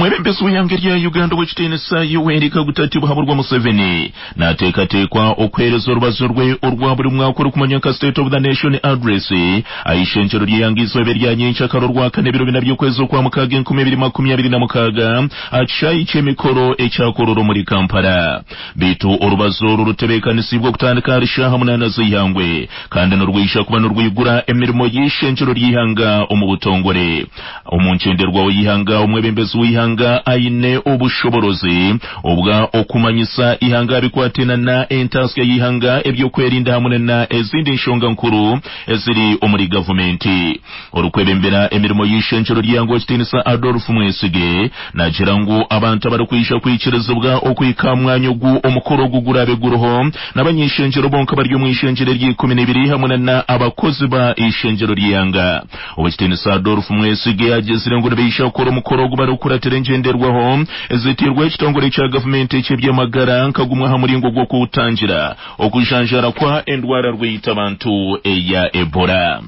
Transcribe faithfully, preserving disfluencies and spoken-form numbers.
Omwebembezi w'ihanga rya Uganda ow'ekitiinisa Yoweri Kaguta Tibuhaburwa Museveni naateekateekwa okuheereza orubazo rwe orwa buri mwaka orukumanywa nka State of the Nation Address aha ishengyero ry'ihanga izooba erya nyenkyakara orwakana ebiro bina by'okwezi okwa mukaaga enkumi ebiri makumi abiri na mukaaga aha kishaayi ky'emikoro ekyakorora omuri Kampala. Beitu orubazo oru rutebeekanisiibwe okutandika ahari shaaha munaana z'eihangwe kandi nirwija kuba nirwigura emirimo y'ishengyero ry'ihanga omu butongore. Omu nkyenderwaho y'ihanga omwebembezi w'ihanga aine obushoborozi obwa okumanyisa ihanga bikwatena entasya y'ihanga ebyokwerinda hamwe na ezindi nshonga nkuru eziri omuri gavumenti. Orikwebembera emirimo y'ishengyero ry'ihanga ekitiinisa Adolf Mwesige nagira ngu abantu abarikwija kwikirizibwa okwika mwanya ogu omukoro ogu gurabe guriho n'abanyishengyero bonka bari omu ishengyero ery'ikumi n'ibiri hamwe na abakozi ba ishengyero ry'ihanga. Owekitiinisa Adolf Mwesige agizire ngu nibaija kukora omukoro ogu barikukuratira engyenderwaho ezitirwe ekitongore kya gavumenti eky'ebyamagara nka gumwe aha muringo gw'okutangira okujanjara kwa endwara rweyita abantu eya Ebola.